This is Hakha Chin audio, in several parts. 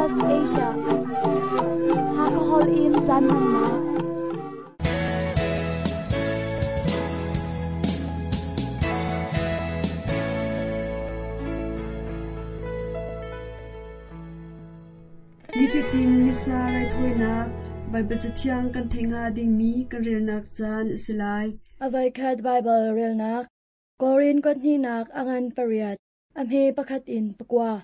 SBS Asia. Hakahol in caan hmannak. Nifatin Missa raithawinak Baibal Cathiang kan theih hnga dingmi kan relnak caan a si lai. A voikhat Baibal relnak Korin kuathnihnak a ngan pariat, a hme pakhat in pakua.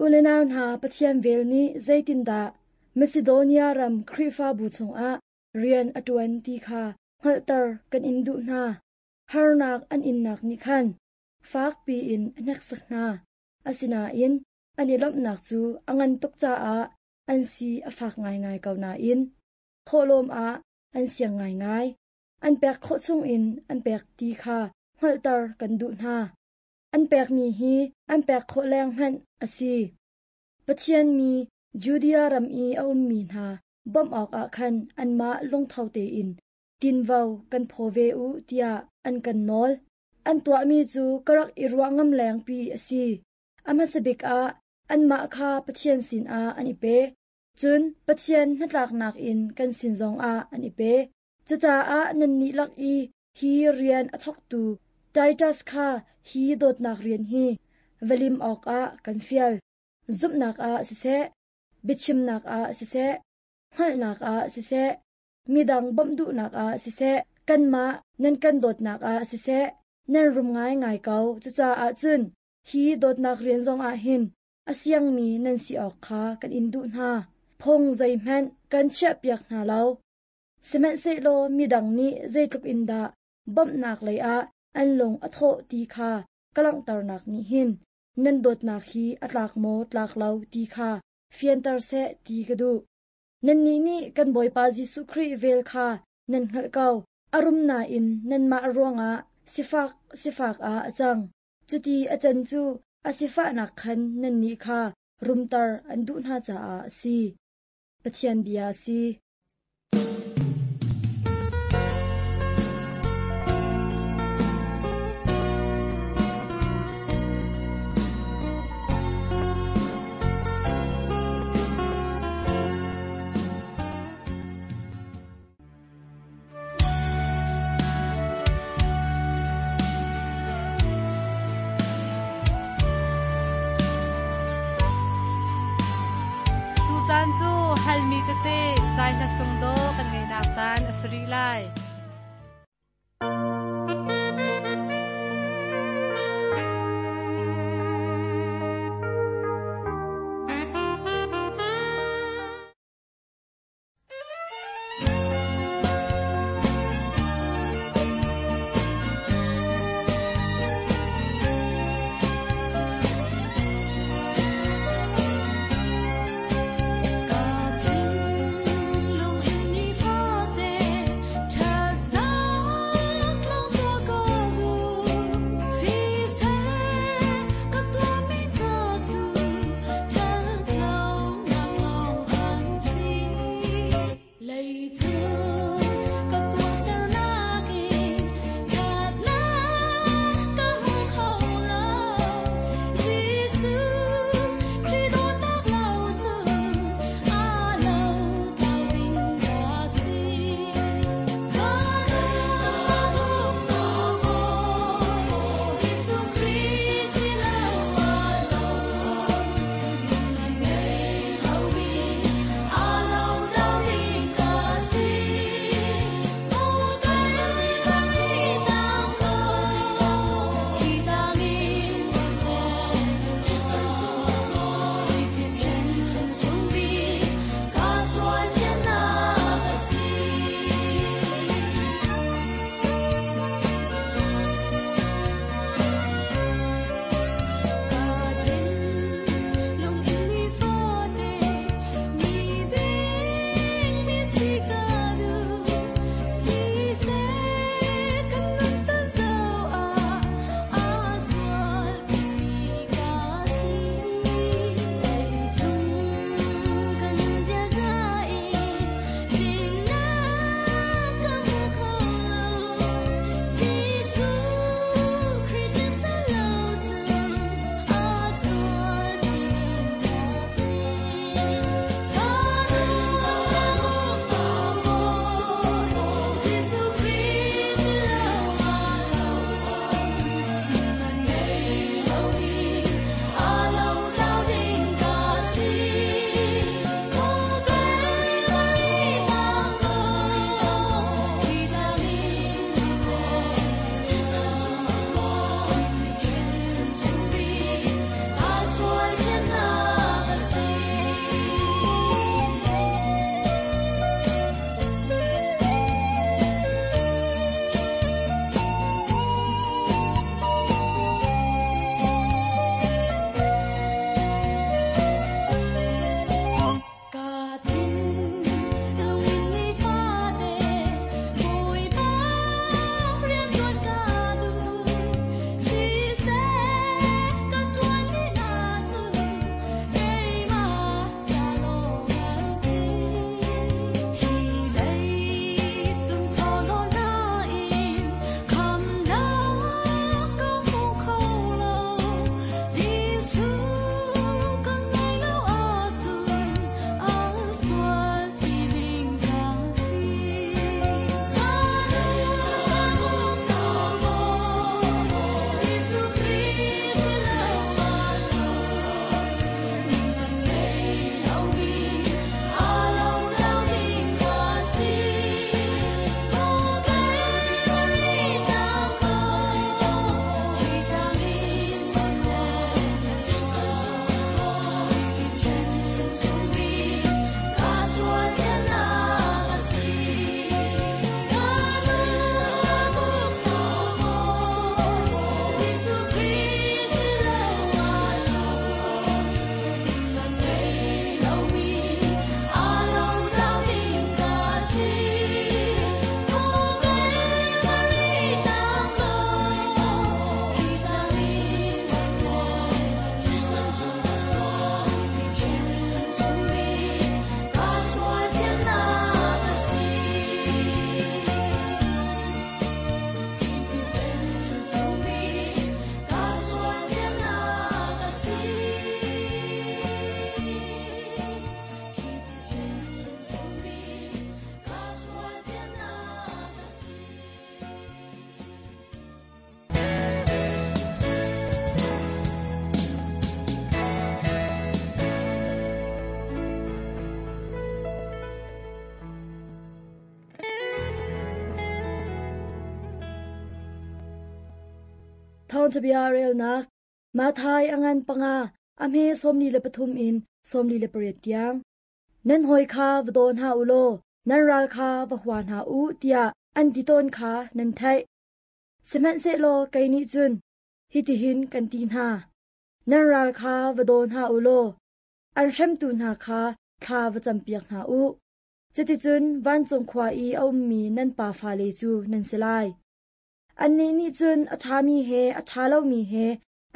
U le nau hna Pathian vel nih zeitindah Macedonia ram Khrihfabu chungah rian a ṭuan ti kha hngalhter kan in duh hna. Harnak an innak nih khan fakpi in a hneksak hna. Asinain an i lawmhnak cu a ngan tuk caah an si a fak ngaingai ko nain thawhlawm ah an siang ngaingai. An pek khawh chungin an pek ti kha hngalhter kan duh hna. An pekmi hi an pek khawh leng hmanh a si. Pathian mi Judea ram i a ummi hna bawmh awkah khan anmah lungtho tein tinvo kan phaw ve u tiah an kan nawl. An tuahmi cu ka rak i ruah ngam lengpi a si. A hmasa bik ah anmah kha Pathian sinah an i pe, cun Pathian hnatlaknak in kan sin zongah an i pe. Cucaah nannih lak i hi rian a thawktu Titus kha hi dawtnak rian hi va lim awkah kan fial. Zumhnak ah siseh, biachimnak ah siseh, hngalhnak ah siseh, midang bawmh duhnak ah siseh, kanmah nan kan dawtnak ah siseh, nan rum ngaingai ko. Cucaah cun hi dawtnak rian zongah hin a siangmi nan si awk kha kan in duh hna. Phung zeihmanh kan chiahpiak hna lo. Sihmanhsehlaw midang nih zeitluk in dah bawmhnak leiah an lung a thawh ti kha ka langhternak nih hin nan dawtnak hi a tlak maw tlak lo ti kha fianter seh ti ka duh. Nannih nih kan Bawipa Jesuh Khrih vel kha nan hngalh ko. A rum nain nanmah ruangah sifak sifak ah a cang. Cuti a can cu a sifahnak khan nannih kha rumter an duh hna caah a si. Pathian bia a si. Tucaan cu halmi tete zai hla sung daw kan ngeihnak caan a si rih lai. Ka thinlung in nifate ṭhat Thawngṭhabia relnak Matthai a ngan panga, a hme 43 in 48 tiang. Nan hawi kha va daw hna u law nan ral kha va hua hna u tiah an ti tawn kha nan theih. Sihmanhsehlaw kei nih cun hitihin kan ti hna. Nan ral kha va daw hna u law an hremtu hna kha thla va campiak hna u. Cuticun vancung khua i a ummi nan pa fale cu nan si lai. Annih nih cun a ṭhami he a ṭha lomi he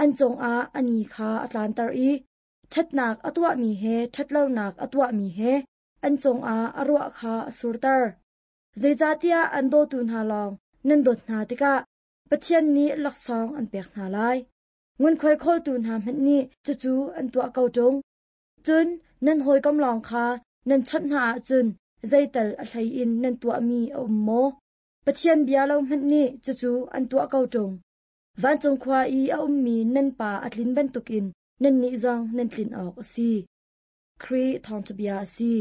an cungah a ni kha a tlanter i ṭhatnak a tuahmi he ṭhatlonak a tuahmi he an cungah a ruah kha a surter. Zeicahtiah an dawtu hna lawng nan dawt hna tikah Pathian nih laksawng an pek hna lai. Ngunkhuai khawltu hna hmanh nih cucu an tuah ko ṭung. Cun nan hawikom lawng kha nan chawnh hna ahcun zeital a hlei in nan tuahmi a um maw? Pathian bia lo hmanh nih cucu an tuah ko ṭung. Vancung khua i a ummi nan Pa a tlin bantukin nannih zong nan tlin awk a si. Khrih Thawngṭha Bia a si.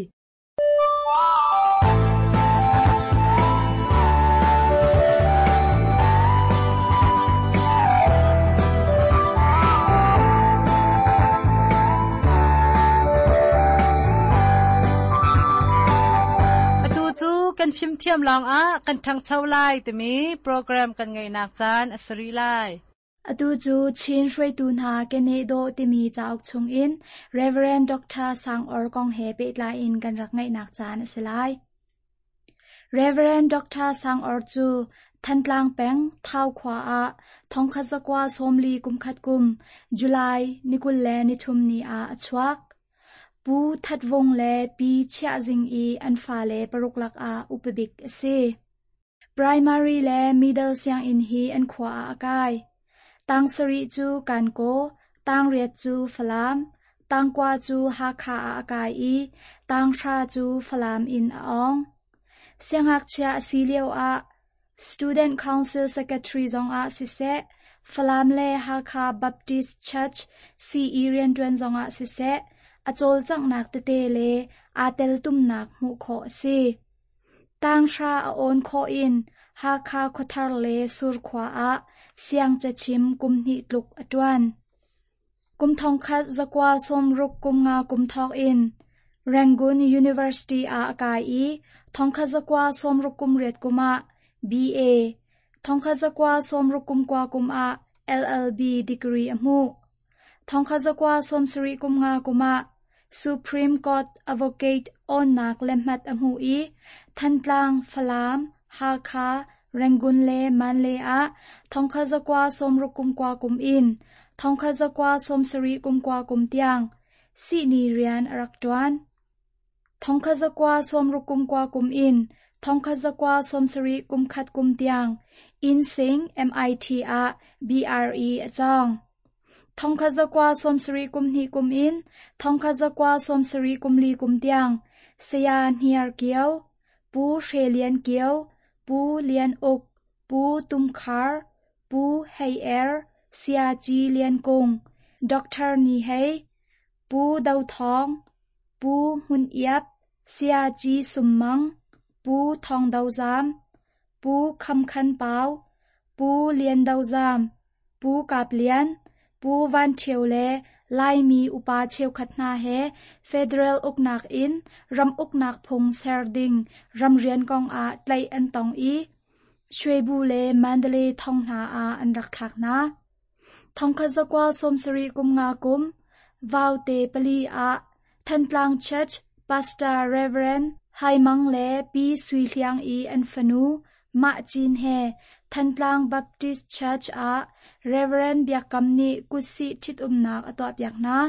Atu cu kan fimthiam lawngah kan ṭhangcho lai timi program kan ngeihnak caan a si rih lai. Atu cu Chin hruaitu hna keneh dawh timi cauk chungin Rev. Dr. Sang Awr kong he pehtlai in kan rak ngaihnak caan a si lai. Rev. Dr. Sang Awr cu Thantlang peng Thau khua ah thongkhat zakua sawmli kumkhat kum July ni 23 ni ah a chuak. Pu That Vung le Pi Chiah Zing i an fale paruk lakah upa bik a si. Primary le middle sianginn hi an khua ah a kai. Tang sarih cu Kankaw, tang riat cu Falam, tangkua cu Hakha ah a kai i tanghra cu Falam in a awng. Siangngakchia a si lioah Student Council Secretary zongah siseh, Falam le Hakha Baptist Church CE rianṭuan zongah siseh, a cawlcanghnak tete le aa teltumnak hmuh khawh a si. Tanghra a awn khawh in Hakha Khuathar le Surkhua ah siangcachim kum hnih tluk a ṭuan. Kum thongkhat zakua sawmruk kum nga kum thawk in Rangoon University ah a kai i thongkhat zakua sawmruk kum riat kum ah BA, thongkhat zakua sawmruk kum kua kum ah LLB degree a hmuh. Thongkhat zakua sawmsarih kum nga kum ah Supreme Court Advocate awnnak lehhmat a hmuh i Thantlang, Falam, Hakha, Rangoon le Mandalay ah thongkhat zakua sawmruk kum kua kum in thongkhat zakua sawmsarih kum kua kum tiang sihni rian a rak ṭuan. Thongkhat zakua sawmruk kum kua kum in thongkhat zakua sawmsarih kum khat kum tiang Insein MIT ah BRE a cawng. Thongkhat zakua sawmsarih kum hnih kum in thongkhat zakua sawmsarih kum li kum tiang Saya Hniar Kio, Pu Hre Lian Kio, Pu Lian Uk, Pu Tum Khar, Pu Hei Er, Saya Ci Lian Kung, Dr. Ni Hei, Pu Do Thawng, Pu Hmun Iap, Saya Ci Sum Mang, Pu Thawng Do Zam, Pu Kham Khan Pau, Pu Lian Do Zam, Pu Kap Lian, Pu Van Ṭhio le Laimi upa cheukhat hna he federal uknak in ram uknak phung ser ding ramrian kongah tlaih an tong i Shwebu le Mandalay thong hna ah an rak thlak hna. Thongkhat zakua sawmsarih kum nga kum Vaute pali ah Thantlang Church Pastor Rev. Hai Mang le Pi Sui Hliang i an fanu Mah Cin he Thantlang Baptist Church ah Rev. Biak Kam nih kutsih ṭhitumnak a tuahpiak hna.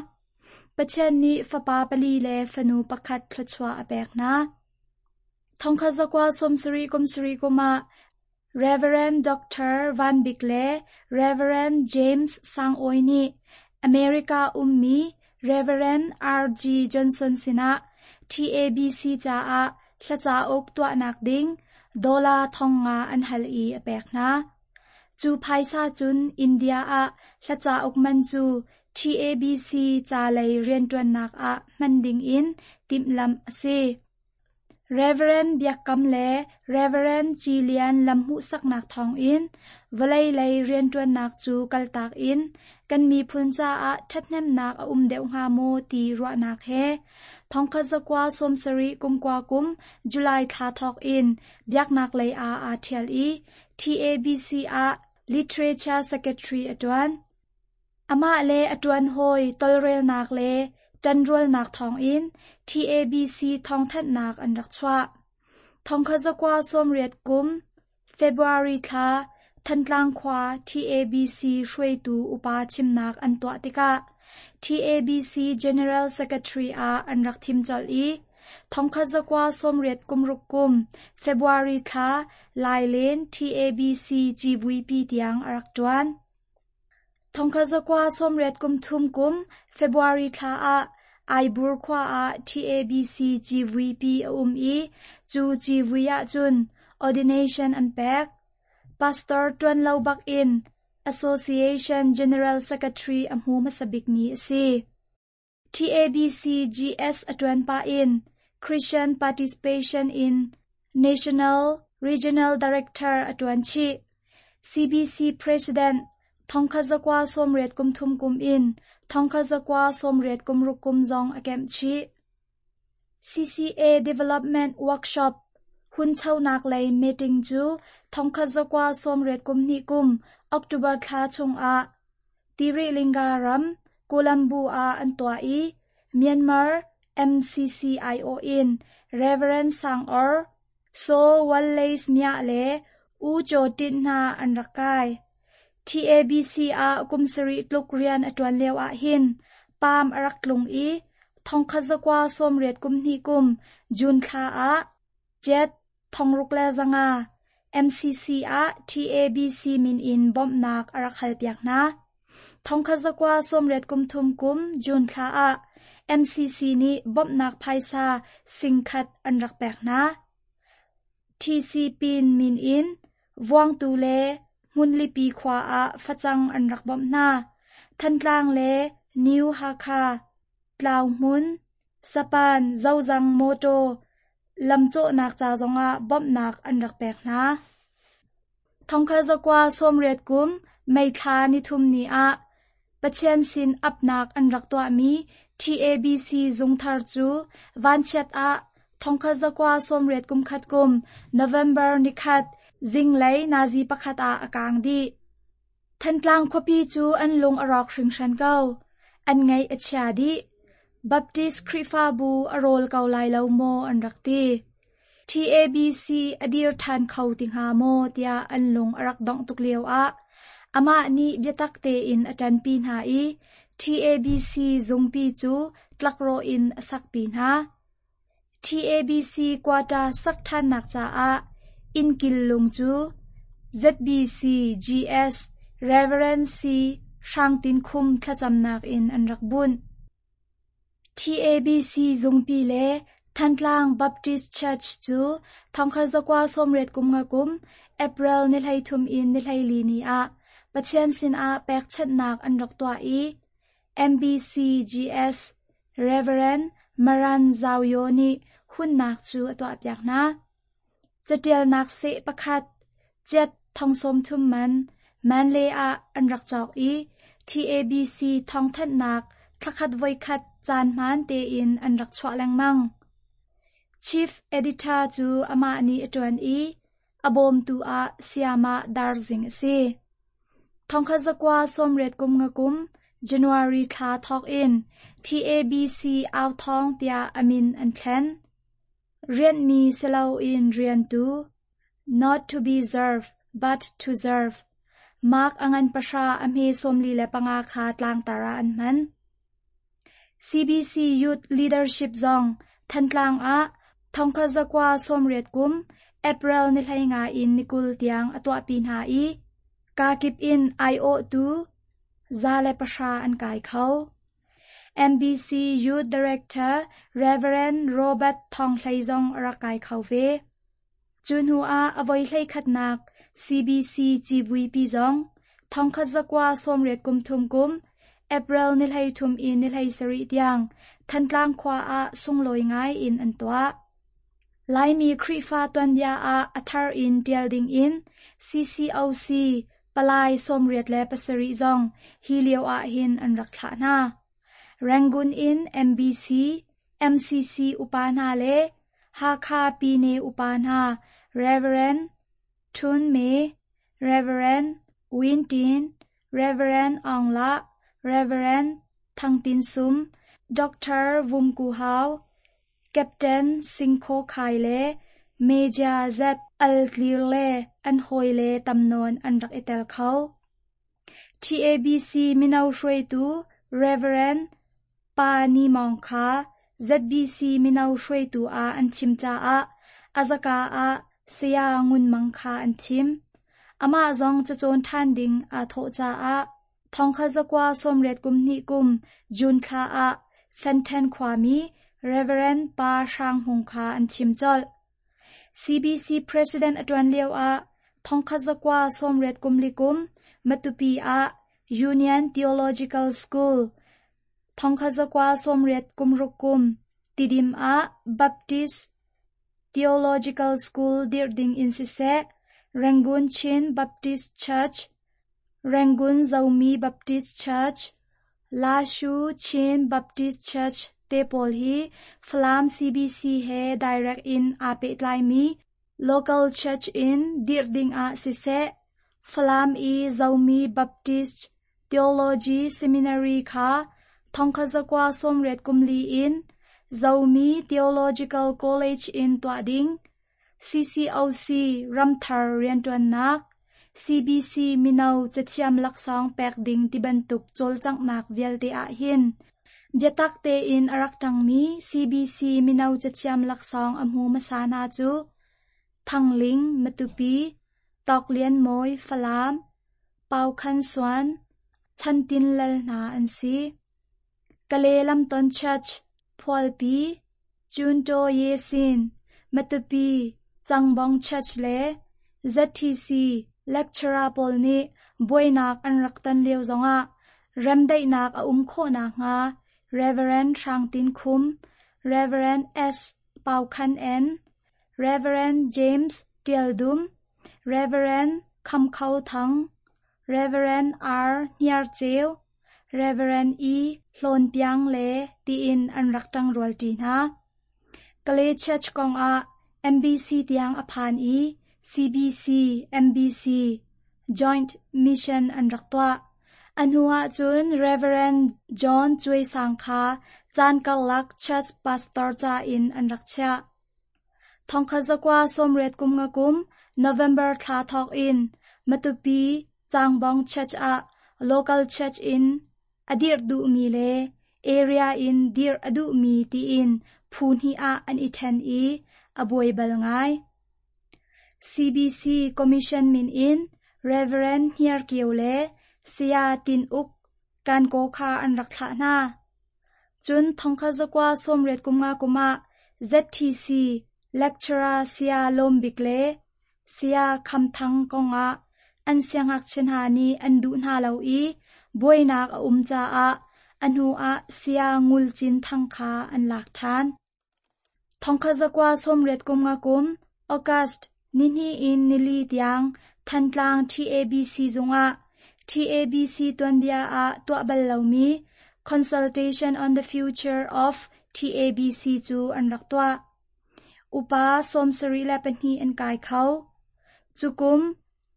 Pathian nih fapa pali le fanu pakhat thluachuah a pek hna. Thongkhat zakua sawmsarih kum sarih kum ah Rev. Dr. Van Bik le Rev. James Sang Awi nih America ummi Rev. R.G. Johnson sinah TABC caah hla cauk tuahnak ding dollar thong nga an hal i a pek hna. Cu phaisa cun India ah hla cauk man cu TABC ca lei rianṭuannak ah hman dingin timhlamh a si. Rev. Biak Kam le Rev. Ci Lian lam hmuhsaknak thawngin vawlei lei rianṭuannak cu kaltak in kan miphun caah ṭhathnemnak a um deuh hnga maw ti ruahnak he 1979 kum July thla thawk in biaknak lei ah aa ṭhial i TABC ah Literature Secretary a ṭuan. Amah le a ṭuanhawi tawlrelnak le ṭanrualnak thawngin TABC thawngthanhnak an rak chuah. 1980 kum February thla Thantlang khua TABC hruaitu upa chimnak an tuah tikah TABC General Secretary ah an rak thim colh i 1986 kum February thla Lailen TABC civuipi tiang a rak ṭuan. 1983 kum February thla ah Aibur khua ah TABC civuipi a um i cu civui ahcun ordination an pek. Pastor ṭuan lo bak in Association General Secretary a hmu hmasa bikmi a si. TABC GS a ṭuan pah in Christian Participation in National Regional Director a ṭuan chih. CBC President 1983 kum in 1986 kum zong a kemh chih. CCA Development Workshop hunchonak lei meeting cu 1982 kum October thla chungah Tirilinga ram Colombo ah an tuah i Myanmar MCCIO in Rev. Sang Awr, Saw Wallace Mya le U Kyaw Tint hna an rak kai. TABC ah kum sarih tluk rian a ṭuan lio ahhin paam a rak tlung i 1982 kum June thla ah Jet 6500 MCC ah TABC min in bawmhnak a rak halpiak hna. 1983 kum June thla ah MCC nih bawmhnak phaisa singkhat an rak pek hna. TC Pin min in Vuangtu le Hmunlipi khua ah facang an rak bawmh hna. Thantlang le New Hakha, Tlauhmun, Sapan, Zozang mawṭaw lamcawhnak ca zongah bawmhnak an rak pek hna. 1980 kum May thla nithum ni ah Pathian sin apnak an rak tuahmi TABC zungthar cu vanchiat ah 1981 kum November nikhat zinglei nazi pakhat ah a kaang dih. Thantlang khuapi cu an lung a rawk hringhran ko. An ngaih a chia dih. Baptist Khrihfabu a rawl ko lai lo maw an rak ti. TABC a dir ṭhan kho ti hnga maw tiah an lung a rak dongh tuk lioah amah nih biatak tein a ṭanpi hna i TABC zungpi cu tlakrawh in a sakpi hna. TABC quata sak ṭhannak caah innkil lung cu ZBC GS Rev. C. Hrang Tin Khum thlacamnak in an rak bunh. TABC zungpi le Thantlang Baptist Church cu 1985 kum April ni 33 in ni 14 ni ah Pathian sinah pekchanhnak an rak tuah i MBCGS Rev. Maran Zau Yaw nih hunnak cu a tuahpiak hna. Catialnak seh pakhat, ciat 30,000 man, Manlay ah an rak cawk i TABC thawngthanhnak thlakhat voikhat caan hmaan tein an rak chuah lengmang. Chief Editor cu amah nih a ṭuan i a bawmtu ah Sayamah Dar Zing a si. 1985 kum January thla thawk in TABC Authawng tiah a min an thlen. Rianhmi si loin riantu, not to be served, but to serve, Mark a ngan pahra a hme 45 kha tlangtar ah an hman. CBC Youth Leadership zong Thantlang ah 1980 kum April ni 15 in ni 20 tiang a tuahpi hna i kakip in aiawhtu 110 an kai kho. MBC Youth Director Rev. Robert Thawng Hlei zong a rak kai kho ve. Cu hnu ah a voi hleikhatnak CBC civuipi zong 1983 kum April ni 33 in ni 17 tiang Thantlang khua ah sunglawi ngai in an tuah. Laimi Khrihfa tuanbia ah a thar in ṭial dingin CCOC palai 87 zong hi lio ahhin an rak thlah hna. Rangoon in MBC, MCC upa hna le Hakha Pyine upa hna Rev. Htun Me, Rev. Win Tin, Rev. Aung Lah, Rev. Thang Tin Sum, Dr. Vum Ku Hau, Captain Sing Khaw Khai le Major Z Al Tlir le an hawile tam nawn an rak i tel kho. TABC mino hruaitu Rev. Pa Ni Mawng kha ZBC mino hruaitu ah an thim caah a zaka ah Saya Ngun Mang kha an thim. Amah zong cacawn ṭhan ding aa thawh caah 1982 kum June thla ah Fenṭhen khuami Rev. Pa Hrang Hmung kha an thim colh. CBC President a ṭuan lioah 1984 kum Matupi ah Union Theological School, 1986 kum Tidim ah Baptist Theological School dirh ding in siseh, Rangoon Chin Baptist Church, Rangoon Zomi Baptist Church, Lashu Chin Baptist Church te pawl hi Falam CBC he direct in aa pehtlaimi local church in dirh ding ah siseh, Falam i Zomi Baptist Theology Seminary kha 1984 in Zomi Theological College in tuah ding, CCOC ramthar rianṭuannak, CBC mino cathiam laksawng pek ding tibantuk cawlcanghnak vialte ahhin biatak tein a rak ṭangmi CBC mino cathiam laksawng a hmu hmasa hna cu Thang Ling, Matupi, Tawk Lian Mawi, Falam, Pau Khan Suan, Chan Tin Lal hna an si. Kale Lamton Church, Phualpi, Cuntaw Yesin, Matupi, Cangbong Church le ZTC lecturer pawl nih buainak an rak ton lio zongah remdaihnak a um khawh nakhnga Rev. Hrang Tin Khum, Rev. S. Pau Khan En, Rev. James Tial Dum, Rev. Kham Kho Thang, Rev. R. Hniar Ceu, Rev. E. Hlawn Piang le tiin an rak ṭangrualṭi hna. Kalay Church kongah MBC tiang a phan i CBC, MBC, Joint Mission an rak tuah. A hnu ahcun Rev. John Cuai Sang kha caan karlak church pastor ca in an rak chiah. 1985 kum November thla thawk in Matupi Cangbong Church ah local church in a dirh duhmi le area in dirh a duhmi tiin phu hnih ah an i ṭhen i a buai bal ngai. CBC Commission min in Rev. Hniar Kio le Saya Tin Uk Kankaw kha an rak thlah hna. Cun 1985 kum ah ZTC lecturer Saya Lawm Bik le Saya Kham Thang kongah an siangngakchia hna nih an duh hna lo i buainak a um caah a hnuah Saya Ngul Cin Thang kha an lak ṭhan. 1985 kum August nihnih in nili tiang Thantlang TABC zungah TABC tuanbia ah tuah bal lomi Consultation on the Future of TABC cu an rak tuah. Upa 72 an kai kho. Cu kum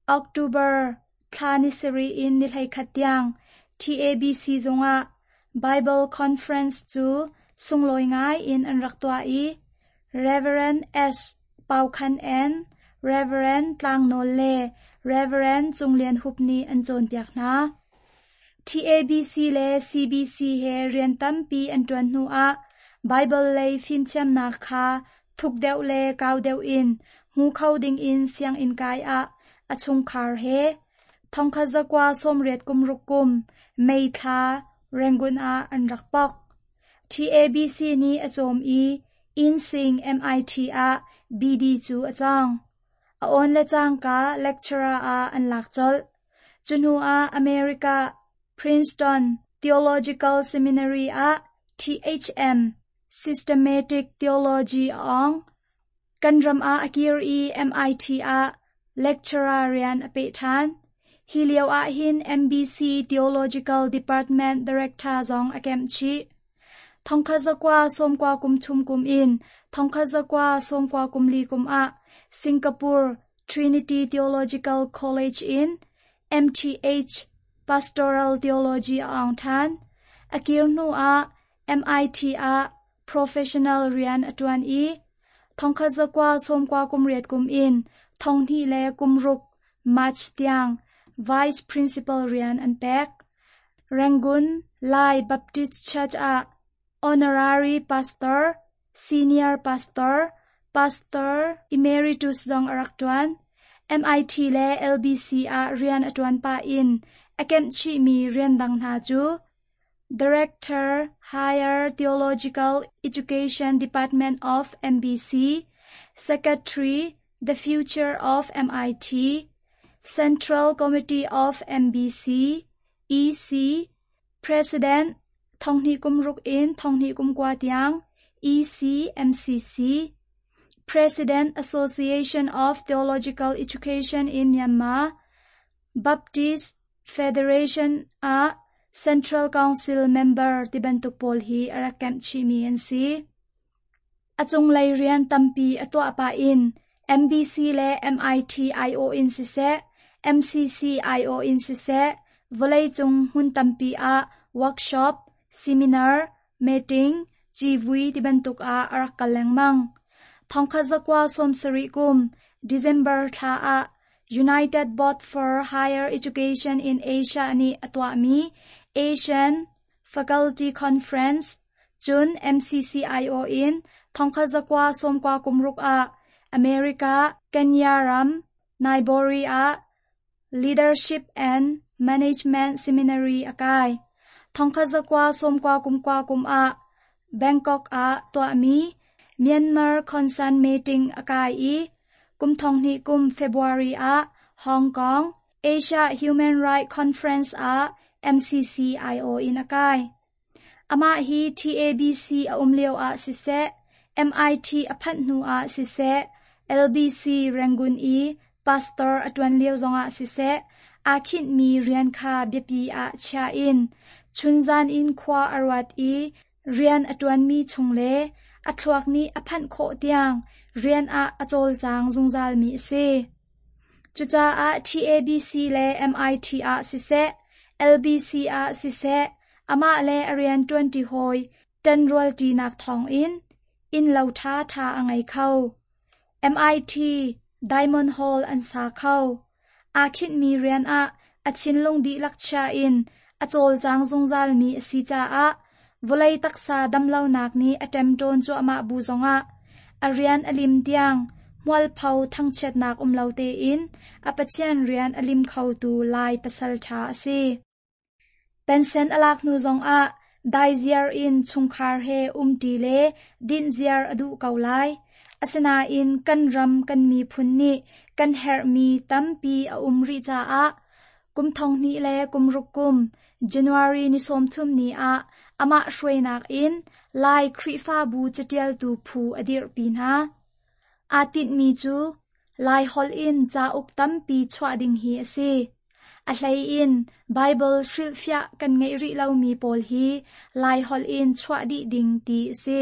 October thla ni sarih in ni 11 tiang TABC zungah Bible Conference cu sunglawi ngai in an rak tuah i Rev. S. Pau Khan En, Rev. Tlang Nawl le Rev. Cung Lian Hup nih an cawnpiak hna. TABC le CBC he rian tampi an ṭuan hnuah Baibal lei fimthiamnak kha thuk deuh le kau deuh in hmu kho dingin sianginn kai ah a chungkhar he 1986 kum May thla Rangoon ah an rak pok. TABC nih a cawm i Innsing MIT ah BD cu a cawng. A awn le cangka lecturer ah an lak colh. Cu hnuah America Princeton Theological Seminary ah THM Systematic Theology a awng. Kan ram ah a kir i MIT ah lecturer rian a peh ṭhan. Hi lio ahhin MBC Theological Department Director zong a kemh chih. Thongkhat zakua sawmkua kum thum kum in thongkhat zakua sawmkua kum li kum ah Singapore Trinity Theological College in MTH Pastoral Theology a aung ṭhan. A kir hnu ah MIT ah professional rian a ṭuan i thongkhat zakua sawmkua kum riat kum in thonghnih le kum ruk March tiang Vice Principal rian an pek. Rangoon Lai Baptist Church ah Honorary Pastor, Senior Pastor, Pastor Emeritus zong a rak ṭuan. MIT le LBC ah rian a ṭuan pah in a kemh chihmi rian dang hna cu Director, Higher Theological Education Department of MBC, Secretary, The Future of MIT, Central Committee of MBC, EC, President, Thonghni kum ruk in thonghni kum kua tiang, EC MCC, President Association of Theological Education in Myanmar, Baptist Federation ah Central Council member ti bantuk pawl hi a rak kemh chihmi an si. A cunglei rian tampi a tuah pah in MBC le MIT aiawh in siseh, MCC aiawh in siseh, vawleicung hmun tampi ah workshop, seminar, meeting, civui ti bantuk ah a rak kal lengmang. Thongkhat zakua sawmsarih kum December thla ah United Board for Higher Education in Asia nih a tuahmi Asian Faculty Conference, cun MCCIO in thongkhat zakua sawmkua kum ruk ah America, Kenya ram, Nairobi ah Leadership and Management Seminary a kai. Thongkhat zakua sawmkua kum kua kum ah Bangkok ah tuahmi Myanmar Concern Meeting a kai i kum thonghnih kum February ah Hong Kong, Asia Human Rights Conference ah MCCIO in a kai. Amah hi TABC a um lio ah siseh, MIT a phanh hnu ah siseh, LBC Rangoon i pastor a ṭuan lio zongah siseh, aa khinhmi rian kha biapi ah chia in chunzan in khua a ruat i rian a ṭuanmi chung le a thluak nih a phanh khawh tiang rian ah a cawlcang zungzalmi a si. Cucaah TABC le MIT ah siseh, LBC ah siseh, amah le a rian ṭuanṭi hawi ṭanrualṭinak thawngin innlo ṭhaṭha a ngei kho. MIT Diamond Hall an sa kho. Aa khinhmi rian ah a thinlung dihlak chia in a cawlcang zungzalmi a si caah vawlei taksa damlonak nih a ṭemṭawn cuahmah bu zongah a rian a lim tiang hmualpho thangchiatnak um lo tein a Pathian rian a lim khotu Lai pasal ṭha a si. Pensen a lak hnu zongah daiziar in chungkhar he umṭi le dinhziar a duh ko lai. Asinain kan ram kan miphun nih kan herhmi tampi a um rih caah kum thonghnih le kum ruk kum January ni 30 ni ah amah hruainak in Lai Khrihfabu caṭialtu phu a dirhpi hna. Aa tinhmi cu Laiholh in cauk tampi chuah ding hi a si. A hlei in Baibal hrilhfiah kan ngeih rih lomi pawl hi Laiholh in chuah dih ding ti a si.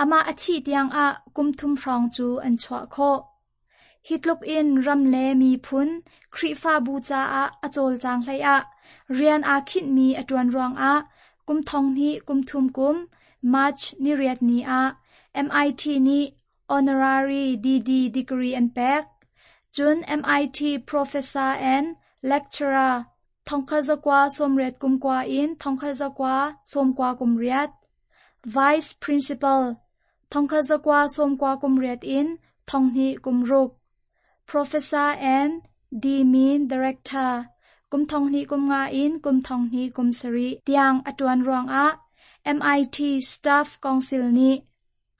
Amah a thih tiangah kum thum hrawng cu an chuah khawh. Hi tluk in ram le miphun, Khrihfabu caah a cawlcang hleiah rian aa khinhmi a ṭuan ruangah kum thong hnih kum thum kum March ni riat ni ah MIT nih honorary DD degree an pek. Cun MIT professor and lecturer thongkhat zakua sawmriat kum kua in thongkhat zakua sawmkua kum riat, vice principal thongkhat zakua sawmkua kum riat in thonghnih kum ruk, professor and D-Min director kum thonghnih kum nga in kum thonghnih kum sarih tiang a ṭuan ruangah MIT Staff Council nih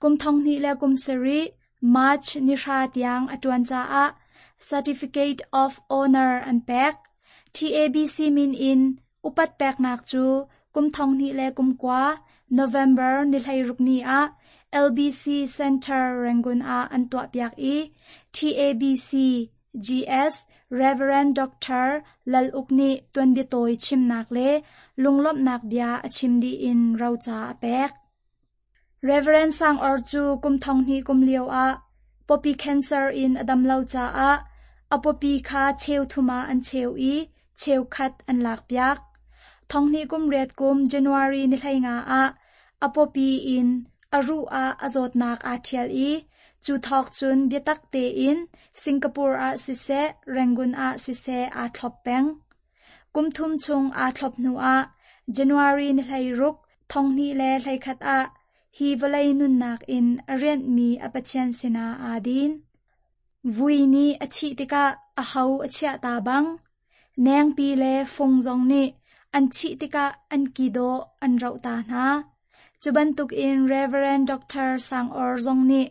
kum thonghnih le kum sarih March ni hra tiang a ṭuan caah Certificate of Honor an pek. TABC min in upat peknak cu kum thonghnih le kum kua November ni hleiruk ni ah LBC Center Rangoon ah an tuahpiak i TABC GS Rev. Doctor Lal Uk nih tuanbia tawi chimnak le lunglawmhnak bia a chim dih in roca a pek. Rev. Sang Awr cu kum 2000 kum lio ah pawpi cancer in a dam lo caah a pawpi kha cheu thum ah an cheu i cheukhat an lakpiak. 2008 kum January ni 15 ah a pawpi in a ruh ah a zawtnak aa ṭhial i cu thawk cun biatak tein Singapore ah siseh, Rangoon ah siseh aa thlop peng. Kum thum chung aa thlop hnuah January ni 16, 2021 ah hi vawlei nunnak in a rianhmi a Pathian sinah aa din. Vui nih a thih tikah a ho a chiah ta bang, nengpi le fung zong nih an thih tikah an ki dawh an roh ta hna. Cu bantukin Rev. Dr. Sang Awr zong nih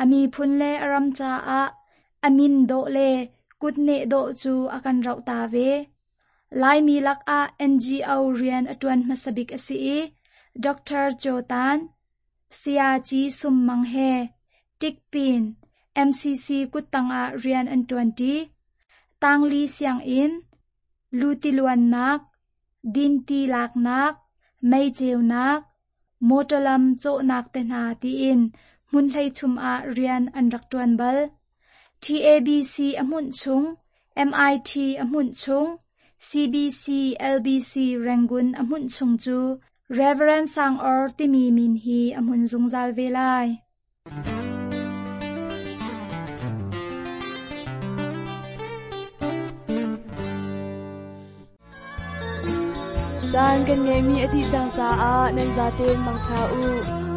a miphun le a ram caah a min dawh le kutneh dawh cu a kan roh ta ve. Laimi lakah NGO rian a ṭuan hmasa bik a si i Dr. Cho Tan, Sayaci Sum Mang he Tikpin, MCC kuttang ah rian an ṭuanṭi. Tangli sianginn, lutiluannak, dinti laknak, mei ceunak, mawṭaw lam cawhnak te hna tiin hmun hleithum ah rian an rak ṭuan bal. TABC a hmunh chung, MIT a hmunh chung, CBC LBC Rangoon a hmunh chung cu Reverend Sang Awr timi min hi a hmun zungzal ve lai. Caan kan ngeihmi a dih cang caah nan zaten mangṭha u.